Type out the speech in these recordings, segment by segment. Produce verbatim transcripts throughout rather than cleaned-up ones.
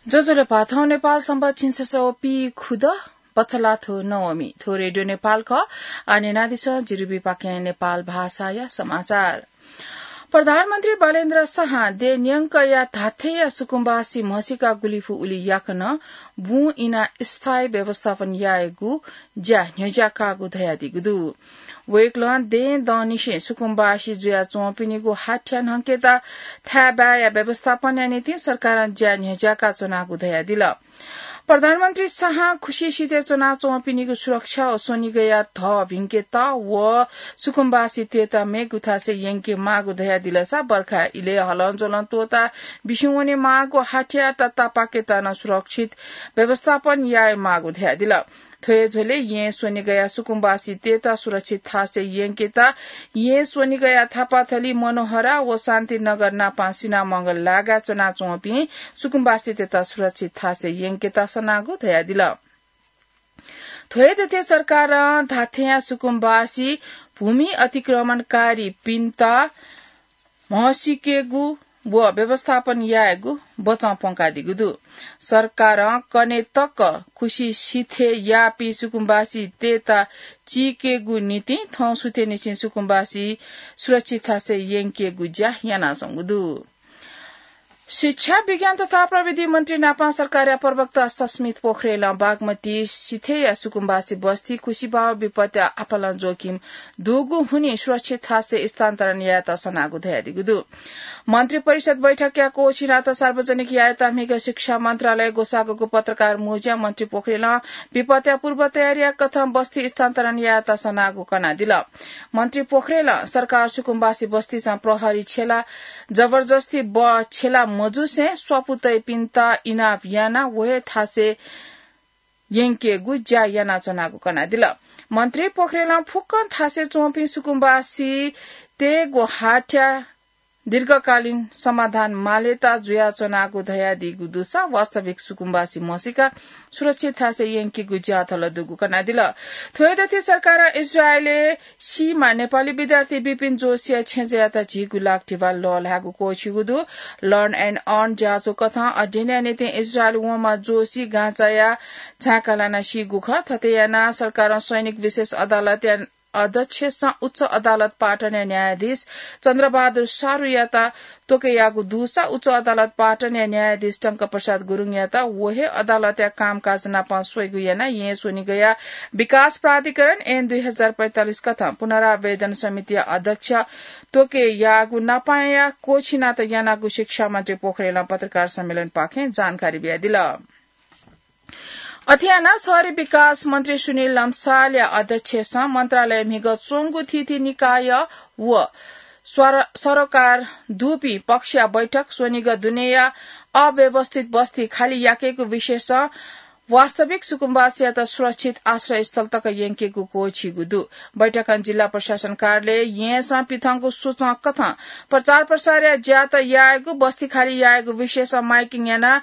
ज्वजलपा, थौं नेपाल संवत् झिंछसः व पीखुदँ, बछलाथ्व नवमी। थ्व रेडियो नेपाल खः। आः न्यनादिसँ जिरिबीपाखें नेपाल भाषाया समाचार। प्रधानमन्त्री बालेन्द्र शाहं देय् न्यंकया धात्थेंया सुकुम्बासी म्हसीका गुलिफु उलि याकनं बुँ इनाः स्थायी व्यवस्थापन यायेगु ज्या न्ह्यज्याकागु धयादीगु दु। वय्कलं देय् दंनिसें सुकुम्बासी जुयाच्वंपिनिगु हाथ्या न्हंकेत थाय्बाय्या व्यवस्थापनया निंतिं सरकारं ज्या न्ह्यज्याका च्वनागु धयादिल। प्रधानमन्त्री शाहं खुसिसिथय् च्वनाच्वंपिनिगु सुरक्षा व स्वनिगःया धः भिंकेत व सुकुम्बासीतय्त मेगु थासय् यंके माःगु धयादिलसा बर्खा इलय् हलंज्वलं त्वःता बिस्युं वने माःगु हाथ्या ततापाकेत नं सुरक्षित व्यवस्थापन याये माःगु धयादिल। थ्व हे झ्वलय् येँ स्वनिगःया सुकुम्बासीतय्त सुरक्षित थासय् यंकेत येँ स्वनिगःया थापाथली, मनोहरा व शान्तिनगर नापं सिनामंगल लागाय् च्वनाच्वंपिं सुकुम्बासीतय्त सुरक्षित थासय् यंकेत सनागु धयादिल। थ्व हे दथें सरकारं धात्थेंया सुकुम्बासी भूमि अतिक्रमणकारीपिन्त म्हसीकेगु व व्यवस्थापन यायेगु बचं प्वंकादीगु दु। सरकारं कन्हय् तक खुसिसिथय् याःपिं सुकुम्बासीतय्त चीकेगु निंतिं थौं सुथय्निसें सुकुम्बासी सुरक्षित थासय् यंकेगु ज्या यानाच्वंगु दु। शिक्षा, विज्ञान तथा प्रविधि मन्त्री नापं सरकारया प्रवक्ता सस्मित पोखरेलं बागमती सिथय्या सुकुम्बासी बस्ती खुसिबाव विपत्तिया आपालं जोखिम दुगु हुनिं सुरक्षित थासय् स्थानान्तरण यायेत सनागु धयादीगु दु। मन्त्री परिषद बैठकया कोःछिनात सार्वजनिक यायेत म्हिगः शिक्षा मन्त्रालय ग्वसाःगु पत्रकार मुँज्यां मन्त्री पोखरेलं विपत्तिया पूर्व तयारीया कथं बस्ती स्थानान्तरण यायेत सनागु कनादिल। मन्त्री पोखरेलं सरकार सुकुम्बासी बस्तीसं प्रहरी छ्यला जबरजस्ती बः छ्यला मजुसें स्वापू तइपिन्त इनाप यानाः व हे थासय् यंकेगु ज्या यानाच्वनागु कनादिल। मन्त्री पोखरेलं फुक्कं थासय् च्वंपिं सुकुम्बासीतय्गु हाथ्या दीर्घकालीन समाधान मालेत जुयाच्वनागु धयादीगु दुसा वास्तविक सुकुम्बासी म्हसीका सुरक्षित थासय् यंकेगु ज्याथल दुगु कनादिल। थ्व हे दथें सरकारं इजरायलय् सीमा नेपाली विद्यार्थी विपिन जोशीया छेँजःयात झीगु लाख धिबा लःल्हायेगु क्वःछिगु दु। Learn and Earn ज्याझ्वः कथं अध्ययनया निंतिं इजरायल वंम्ह जोशी गाँचाया झाय्का लानाः सीगु खः। थथे यानाः सरकारं सैनिक विशेष अदालतया अध्यक्षसं उच्च अदालत पाटनया न्यायाधीश चन्द्रबहादुर सारुयात त्वकयाःगु दुसा उच्च अदालत पाटनया न्यायाधीश टंकप्रसाद गुरुङयात व हे अदालतया कामकाज नाप स्वइगु यानाः येँ स्वनिगःया विकास प्राधिकरण ऐन दुई हजार पैंतालिस कथं पुनरावेदन समितिया अध्यक्ष त्वकयाःगु नापंया कोःछिनात यानागु शिक्षा मन्त्री पोखरेलं पत्रकार सम्मेलनपाखें जानकारी बियादिल। अथे यानाः शहरी विकास मन्त्री सुनिल लम्सालया अध्यक्षसं मन्त्रालय म्हिगः च्वंगु थीथी निकाय व स्वर-, सरोकार दुपिं पक्षया बैठक स्वनिगः दुनेया अव्यवस्थित बस्ती खाली याकेगु विषयसं वास्तविक सुकुम्बासीयात सुरक्षित आश्रयस्थल तक यंकेगु क्वःछिगु दु। बैठकं जिल्ला प्रशासन कार्यालय येँसं पिथंगु सूचं कथं प्रचार प्रसारया ज्यात यायेगु, बस्ती खाली यायेगु विषयसं माइकिङ यानाः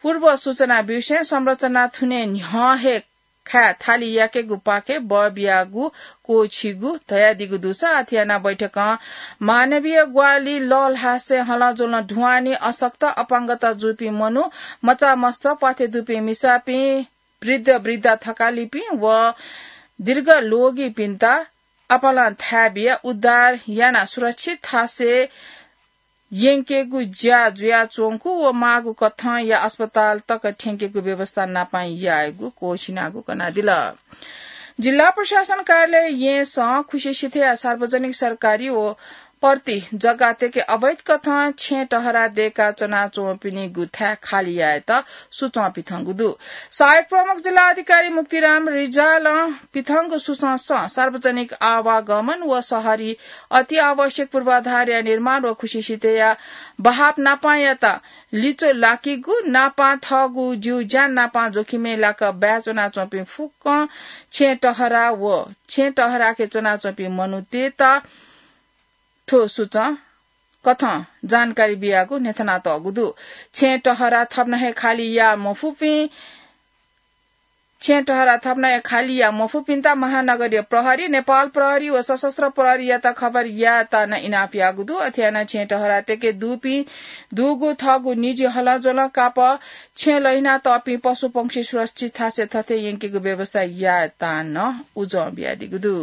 पूर्व सूचना ब्यूसें संरचना थुने न्ह्यः हे खाय् थालि याकेगु पाखे बः बियागु क्वःछिगु धयादीगु दुसा अथे यानाः बैठकं मानवीय ग्वाहालि लःल्हासें हलंज्वलं ढुवानी, अशक्त, अपाङ्गता जूपिं मनू, मचामस्त, प्वाथे दुपिं मिसापिं, वृद्ध वृद्धा थकालिपिं व दीर्घ लोगीपिन्त आपालं थाय् बियाः उद्धार यानाः सुरक्षित थासय् यंकेगु ज्या जुयाच्वंगु व माःगु कथंया अस्पताल तक थ्यंकेगु व्यवस्था नापं यायेगु क्वःछिनागु कनादिल। जिल्ला प्रशासन कार्यालय येँसं खुसिसिथय्या सार्वजनिक सरकारी व पर्ती जग्गातय्के अवैध कथं छेँ टहरा दय्का च्वनाच्वंपिनिगु थाय् खाली यायेत सूचं पिथंगु दु। सहायक प्रमुख जिल्ला अधिकारी मुक्तिराम रिजालं पिथंगु सूचंसं सार्वजनिक आवागमन व शहरी अति आवश्यक पूर्वाधारया निर्माण व खुसिसिथय्या बहाव नापंयात लिच्वः लाकीगु, नापं थःगु ज्यू ज्यान नापं जोखिमय् लाक बाय् च्वनाच्वंपिं फुक्कं छेँ टहरा व छेँ टहराके च्वनाच्वंपिं मनूतय्त थ्व सूचं कथं जानकारी बियागु न्ह्यथनातःगु दु। छेँ टहरा थप नं हे खाली याये मफुपिं छेँ टहरा थपनाया खालिया मफुपिन्त महानगरीय प्रहरी, नेपाल प्रहरी व सशस्त्र प्रहरीयात खबर यायेत नं इनाप याःगु दु। अथे यानाः छेँ टहरा तेके दुपिं दुगु थःगु निजी हलंज्वलं कापः छेँ लहिना तःपिं पशुपंक्षी सुरक्षित थासय् थथे यंकेगु व्यवस्था यायेत नं उजं बियादीगु दु।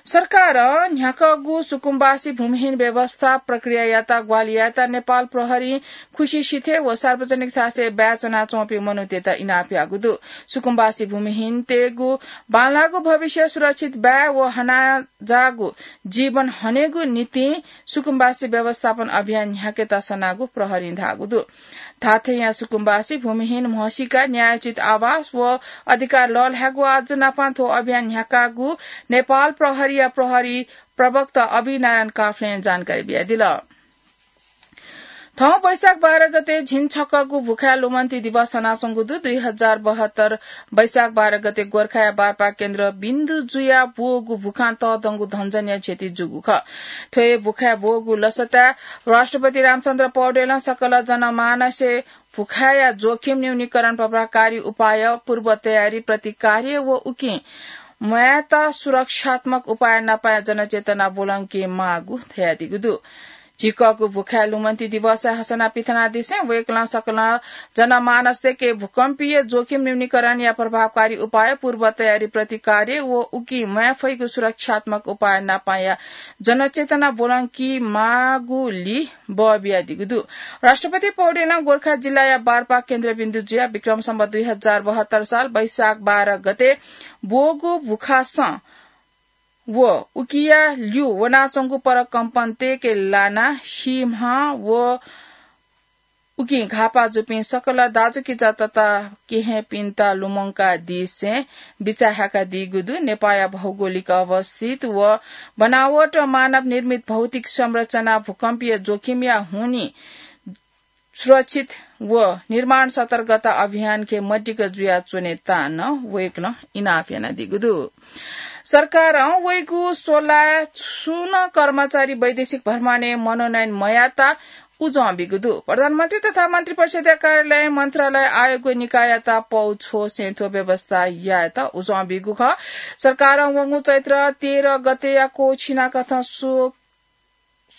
सरकारं न्ह्याकागु सुकुम्बासी भूमिहीन व्यवस्था प्रक्रियायात ग्वाहालि यायेत नेपाल प्रहरीं खुसिसिथय् व सार्वजनिक थासय् बाय् च्वनाच्वंपिं मनूतय्त इनाप याःगु दु। सुकुम्बासी भूमिहीनतय्गु बांलाःगु भविष्य सुरक्षित बाय् व हनाजाःगु जीवन हनेगु निंतिं सुकुम्बासी व्यवस्थापन अभियान न्ह्याकेत सनागु प्रहरीं धाःगु दु। धात्थेंया सुकुम्बासी भूमिहीन म्हसीका न्यायोचित आवास व अधिकार लःल्हायेगु आज्जु नापं थ्व अभियान न्ह्याकागु नेपाल प्रहरीया प्रहरी प्रवक्ता अभिनारायण काफ्लें जानकारी बियादिल। थौं वैशाख बाह्र गते झिंछक्वःगु भुखाय् लुमन्ति दिवस हनाच्वंगु दु। दुई हजार बहत्तर वैशाख बाह्र गते गोर्खाया बारपाक केन्द्र बिन्दु जुया ब्वःगु भुखां तःधंगु धन्जनया क्षति जूगु खः। थ्व हे भुखाय् ब्वःगु लसताय् राष्ट्रपति रामचन्द्र पौडेलं सकल जनमानसय् भुखाया जोखिम न्यूनीकरण प्रभावकारी उपाय, पूर्व तयारी, प्रतिकार्य व उकिं म्वायेत सुरक्षात्मक उपाय नापं जनचेतना ब्वलंके माःगु धयादीगु दु। झिंकःगु भुखाय् लुमन्ति दिवसय् हसना पिथनादिसें वय्कलं सकल जनमानसतय्के भूकम्पीय जोखिम न्यूनीकरणया प्रभावकारी उपाय, पूर्व तयारी, प्रतिकार्य व उकिं म्वाये फइगु सुरक्षात्मक उपाय नापंया जनचेतना ब्वलंके माःगुलिं बः बियादीगु दु। राष्ट्रपति पौडेलं गोर्खा जिल्लाया बारपाक केन्द्रबिन्दु जुयाः विक्रम सम्वत दुई हजार बहत्तर साल वैशाख बाह्र गते ब्वःगु भुखासं व उकिया ल्यू वनाच्वंगु परकम्पन तय्के लानाः सीम्ह व उकिं घाःपाः जूपिं सकल दाजुकिजा तता केहेँपिन्त लुमंकादिसें बिचाः हाकादीगु दु। नेपाःया भौगोलिक अवस्थित व बनावट मानव निर्मित भौतिक संरचना भूकम्पीय जोखिमया हुनिं सुरक्षित व निर्माण सतर्कता अभियानके मदिक्क जुयाच्वनेत नं वय्कलं इनाप यानादीगु दु। सरकारं वइगु स्वलाय् सुं नं कर्मचारी वैदेशिक भ्रमणय् मनोनयन मयायेत उजं बीगु दु। प्रधानमन्त्री तथा मन्त्रिपरिषदया कार्यालय, मन्त्रालय, आयोग व निकाययात पौ छ्वसें थ्व व्यवस्था यायेत उजं बीगु खः। सरकारं वंगु चैत्र तेह्र गतेया क्वःछिनाकथं स्व-,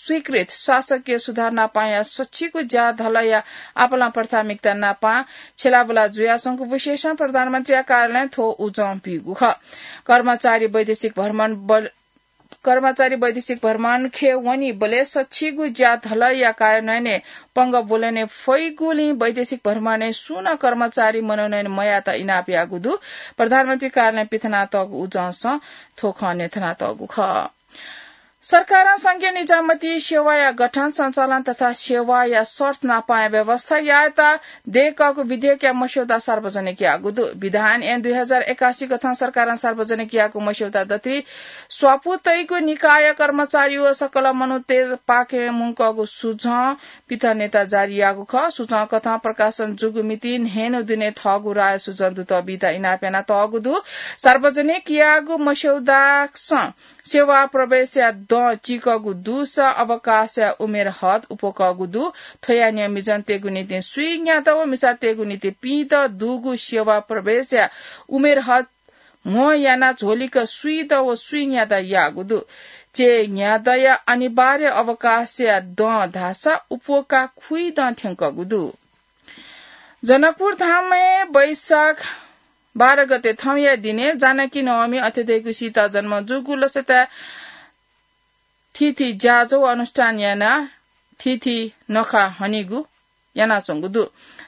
स्वीकृत शासकीय सुधार नापंया सछिगू ज्या धलया आपालं प्राथमिकता नापं छ्यलाबुला जुयाच्वंगु विशेषं प्रधानमन्त्रीया कार्यालयं थ्व उजं बीगु खः। कर्मचारी वैदेशिक भ्रमण बल-, कर्मचारी वैदेशिक भ्रमणखे वनीबलय् सछिगू ज्या धलया कार्यान्वयनय् पंगः ब्वलने फइगुलिं वैदेशिक भ्रमणय् सुं नं कर्मचारी मनोनयन मयायेत इनाप याःगु दु। प्रधानमन्त्री कार्यालयं पिथनातःगु उजंसं थ्व खँ न्ह्यथनातःगु खः। सरकारं संघीय निजामती सेवाया गठन, सञ्चालन तथा सेवाया शर्त नापंया व्यवस्था यायेत दय्कःगु विधेयकया मस्यौदा सार्वजनिक याःगु दु। विधान ऐन दुई हजार एकासी कथं सरकारं सार्वजनिक याःगु मस्यौदा दथुइ स्वापू तइगु निकाय कर्मचारी व सकल मनूतय्पाखें मुंकःगु सुझं पिथनेत जारी याःगु खः। सुझं कथं प्रकाशन जूगु मिति न्हय्न्हु दुने थःगु राय सुझं दुत बीत इनाप यानातःगु दु। सार्वजनिक याःगु मस्यौदासं सेवा प्रवेशया दँ चीकःगु दुसा अवकाशया उमेर हद उप्वकःगु दु। थ्वया न्ह्यः मिजंतय्गु निंतिं स्वीन्यादँ व मिसातय्गु निंतिं पीदँ दुगु सेवा प्रवेशया उमेर हद म्हो यानाः झ्वलिक स्वीदँ व स्वीन्यादँ याःगु दु। चय्न्यादँया अनिवार्य अवकाशया दँ धाःसा उप्वकाः खुइदँ थ्यंकःगु दु। जनकपुर धामय् वैशाख बाह्र गते थौंया दिनय् जानकी नवमी अथे धइगु सीता जन्म जूगु लसताय् थीथी ज्याझ्वः अनुष्ठान यानाः थीथी नखः हनीगु यानाच्वंगु दु।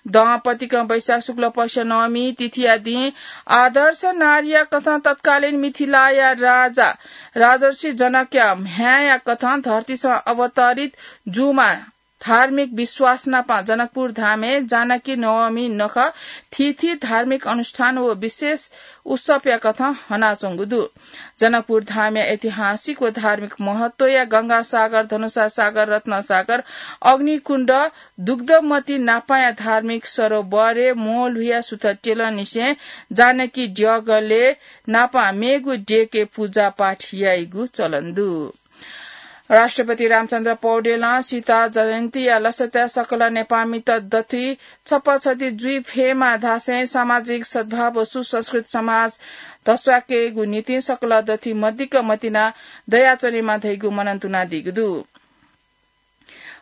दँ पतिकं वैशाख शुक्ल पक्ष नवमी तिथिया दिं आदर्श नारीया कथं तत्कालीन मिथिलाया राजा राजर्षि जनकया म्ह्याय्या कथं धरतीसं अवतरित जूमा धार्मिक विश्वास नापं जनकपुर धामय् जानकी नवमी नखः थीथी धार्मिक अनुष्ठान व विशेष उत्सवया कथं हनाच्वंगु दु। जनकपुर धामया ऐतिहासिक व धार्मिक महत्वया गंगासागर, धनुषासागर, रत्नसागर, अग्निकुण्ड, दुग्धमती नापंया धार्मिक सरोवरय् म्वःल्हुया सुथ त्यलंनिसें जानकी द्यःगलय् नापं मेगु देय्के पूजापाठ याइगु चलन दु। राष्ट्रपति रामचन्द्र पौडेलं सीता जयन्तीया लसताय् सकल नेपाःमित दथुइ छप्पा छति जुइ फयेमा धासें सामाजिक सद्भाव व सुसंस्कृत समाज धस्वाकेगु निंतिं सकल दथुइ मदिक्क मतिना दयाच्वनेमा धइगु मनंतुना दीगु दु।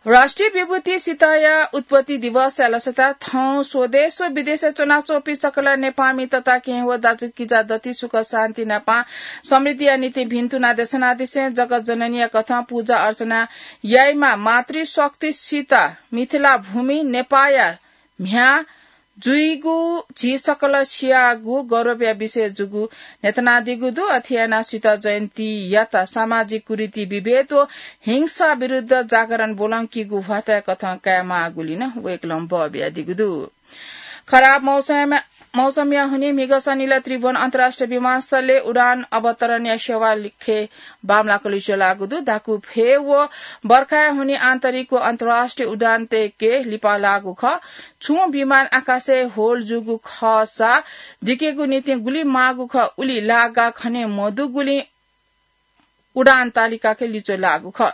राष्ट्रिय विभूति सीताया उत्पत्ति दिवसया लसताय् थौं स्वदेश व विदेशय् च्वनाच्वंपिं सकल नेपाःमि तताकेहेँ व दाजुकिजा दथुइ सुख शान्ति नापं समृद्धिया निंतिं भिन्तुना देछानादिसें जगत जननीया कथं पूजा अर्चना याइमा मातृशक्ति सीता मिथिला भूमि नेपाःया म्ह्याय् जुइगु झी सकल सियागु गौरवया विषय जूगु न्ह्यथनादीगु दु। अथे यानाः सीता जयन्तीयात सामाजिक कुरीति विभेद व हिंसा विरुद्ध जागरण ब्वलंकीगु ह्वाताया कथं कायेमाःगुलिं नं वय्कलं बः बियादीगु दु। खराब मौसम, मौसमया हुनिं म्हिगः सनिलय् त्रिभुवन अन्तर्राष्ट्रिय विमानस्थलय् उडान अवतरणया सेवा लिखे बांमलाक लिच्वः लाःगु दु। धाकु भ्वय् व बर्खाया हुनिं आन्तरिक व अन्तर्राष्ट्रिय उडान तय्के लिपा लाःगु खः। छुं विमान आकाशय् होल जूगु खःसा दिकेगु निंतिं गुलि माःगु खः, उलि लागा खने मदुगुलिं उडान तालिकाके लिच्वः लाःगु खः।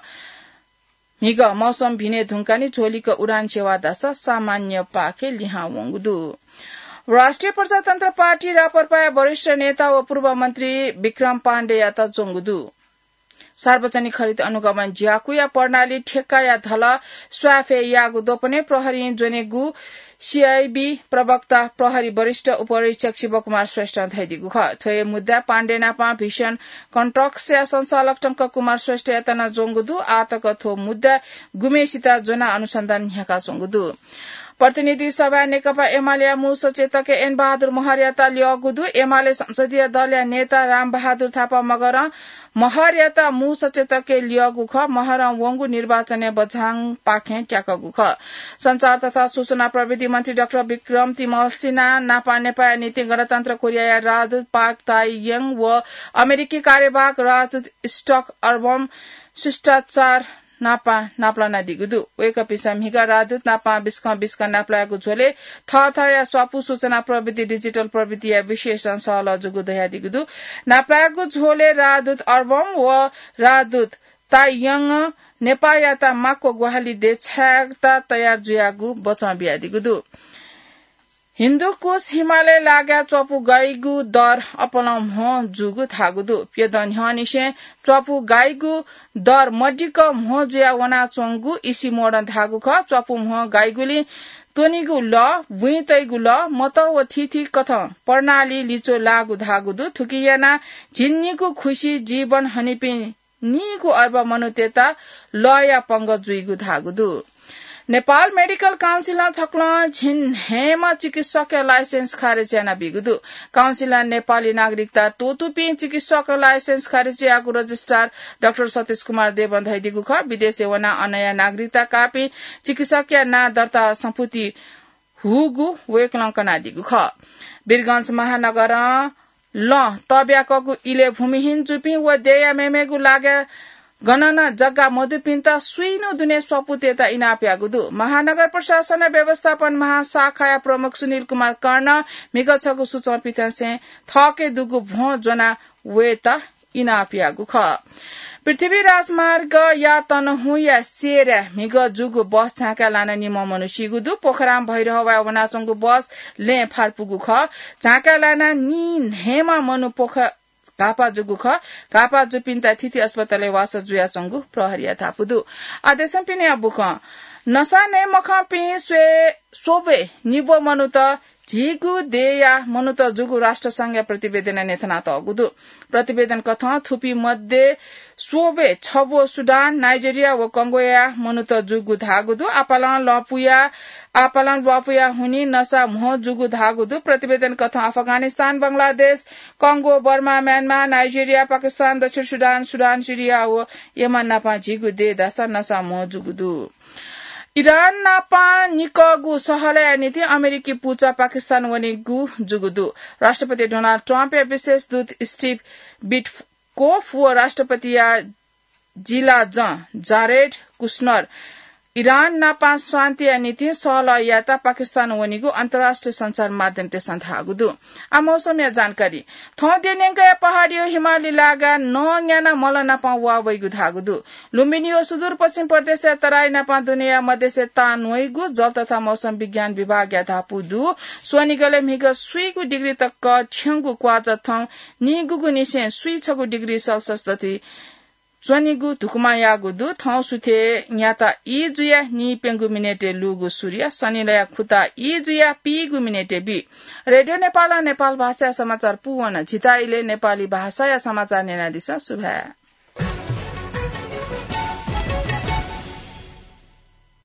म्हिगः मौसम भिने धुंकाः नि झ्वलिक उडान सेवा धाःसा सामान्य पाखे लिहां वंगु दु। राष्ट्रिय प्रजातन्त्र पार्टी राप्रपाया वरिष्ठ नेता व पूर्व मन्त्री विक्रम पाण्डेयात ज्वंगु दु। सार्वजनिक खरिद अनुगमन ज्याकुया प्रणाली ठेक्काया धलः स्वाफे याःगु द्वपनय् प्रहरीं ज्वनेगु सीआईबी प्रवक्ता प्रहरी वरिष्ठ उपरीक्षक शिवकुमार श्रेष्ठं धयादीगु खः। थ्व हे मुद्दाय् पाण्डे नापं भिषण कन्ट्रक्सया संचालक टंककुमार श्रेष्ठयात नं ज्वंगु दु। आःतक थ्व मुद्दाय् गुम्हेसित ज्वनाः अनुसन्धान न्ह्याकाच्वंगु दु। प्रतिनिधि सभाय् नेकपा एमालेया मू सचेतक एन बहादुर महरयात ल्यःगु दु। एमाले संसदीय दलया नेता रामबहादुर थापा मगरं महरयात मू सचेतकय् ल्यःगु खः। महरं वंगु निर्वाचनय् बझाङपाखें त्याकःगु खः। सञ्चार तथा सूचना प्रविधि मन्त्री डाक्टर विक्रम तिमल्सिना नापं नेपाःया निंतिं गणतन्त्र कोरियाया राजदूत पाक ताइयङ व अमेरिकी कार्यवाहक राजदूत स्टक अर्बम शिष्टाचार नापं नापलानादीगु दु। वय्कःपिन्सं म्हिगः राजदूत नापं बिस्कं बिस्कं नापलायेगु झ्वलय् थःथःया स्वापू सूचना प्रविधि, डिजिटल प्रविधिया विशेषं सहलह जूगु धयादीगु दु। नापलायेगु झ्वलय् राजदूत अर्बम व राजदूत ताइयङं नेपाःयात माक्व ग्वाहालि देछायेत तयार जुयागु बचं बियादीगु दु। हिन्दुकुश हिमालय लागाय् च्वापु गाइगु दर अपलं म्हो जूगु धाःगु दु। प्यदँ न्ह्यःनिसें च्वापु गाइगु दर मदिक्क म्हो जुया वनाच्वंगु इसिमोडं धाःगु खः। च्वापु म्हो गाइगुलिं त्वनीगु लः, बुँइ तइगु लः, मत व थीथी कथं प्रणाली लिच्वः लाःगु धाःगु दु। थुकिं यानाः झिंनिगू खुसि जीवन हनीपिं नीगू अर्ब मनूतय्त लःया पंगः जुइगु धाःगु दु। नेपाल मेडिकल काउन्सिलं छकलं झिंन्हय्म्ह चिकित्सकया लाइसेन्स खारेज यानाबीगु दु। काउन्सिलं नेपाली नागरिकता त्वःतूपिं चिकित्सक लाइसेन्स खारेज याःगु रजिस्ट्रार डाक्टर सतीश कुमार देवं धयादीगु खः। विदेशय् वनाः अनया नागरिकता काःपिं चिकित्सकया नां दर्ता संपुति हूगु वय्कलं कनादीगु खः। वीरगंज महानगरं लं तब्याकःगु इलय् भूमिहीन जूपिं व देय्या मेमेगु लागाय् गनं नं जग्गा मदुपिन्त स्वीन्हु दुने स्वापू तयेत इनाप याःगु दु। महानगर प्रशासन व्यवस्थापन महाशाखाया प्रमुख सुनिल कुमार कर्णं म्हिगः छगू सूचं पिथंसें थःके दुगु भ्वं ज्वना वयेत इनाप याःगु खः। पृथ्वी राजमार्गया तनहुँया सेरय् म्हिगः जूगु बस झाँकाय् लानाः निम्ह मनू सीगु दु। पोखरां भैरहवाय् वनाच्वंगु बस लँय् फार्पुगु खः। झाँकाय् लानाः नीन्हय्म्ह मनू पोख घाःपाः जूगु खः। घाःपाः जूपिन्त थीथी अस्पतालय् वासः जुयाच्वंगु प्रहरीया धापू दु। आः देशं पिनेया बुखँ। नसा नये मखंपिं स्वये, स्वब्वय् निब्व मनूत झीगु देय्या मनूत जूगु राष्ट्र संघया प्रतिवेदनं न्ह्यथनातःगु दु। प्रतिवेदन कथं थुपिं मध्ये स्वब्वय् छब्व सुडान, नाइजेरिया व कंगोया मनूत जूगु धाःगु दु। आपालं लँपुया, आपालं ल्वापुया हुनिं नसा म्हो जूगु धाःगु दु। प्रतिवेदन कथं अफगानिस्तान, बंगलादेश, कंगो, बर्मा, म्यानमार, नाइजेरिया, पाकिस्तान, दक्षिण सुडान, सुडान, सिरिया व यमन नापं झीगु देय् धाःसा नसा म्हो जूगु दु। इरान नापं निकःगु सहलया निंतिं अमेरिकी पुचः पाकिस्तान वनीगु जूगु दु। राष्ट्रपति डोनाल्ड ट्रम्पया विशेष दूत स्टिभ विटकोफ व राष्ट्रपतिया जिलाजं जारेड कुशनर इरान नापं शान्तिया निंतिं सहलह यायेत पाकिस्तान वनीगु अन्तर्राष्ट्रिय सञ्चार माध्यमतय्सं धाःगु दु। आ मौसमया जानकारी। थौं देय् न्यंकया पहाडी व हिमाली लागां नं न्यानाः मल नापं वा वइगु धाःगु दु। लुम्बिनी व सुदूरपश्चिम प्रदेशया तराई नापं दुनेया मध्यसे तान वइगु जल तथा मौसम विज्ञान विभागया धापू दु। स्वनिगलय् म्हिगः स्वीगू डिग्री तक थ्यंगु क्वाःचा थौं नीगूगुनिसें स्वीछगू डिग्री सेल्सियस दथुइ च्वनीगु धुकुमां याःगु दु। थौं सुथय् न्याता ई जुयाः नीप्यंगू मिनेटय् लूगु सूर्य, सनिलया खुता ई जुयाः पीगू मिनेटय् बी। रेडियो नेपालं नेपाल भाषाया समाचार पूवन। झीत इलय् नेपाली भाषाया समाचार न्यनादिसँ। सुभाय्।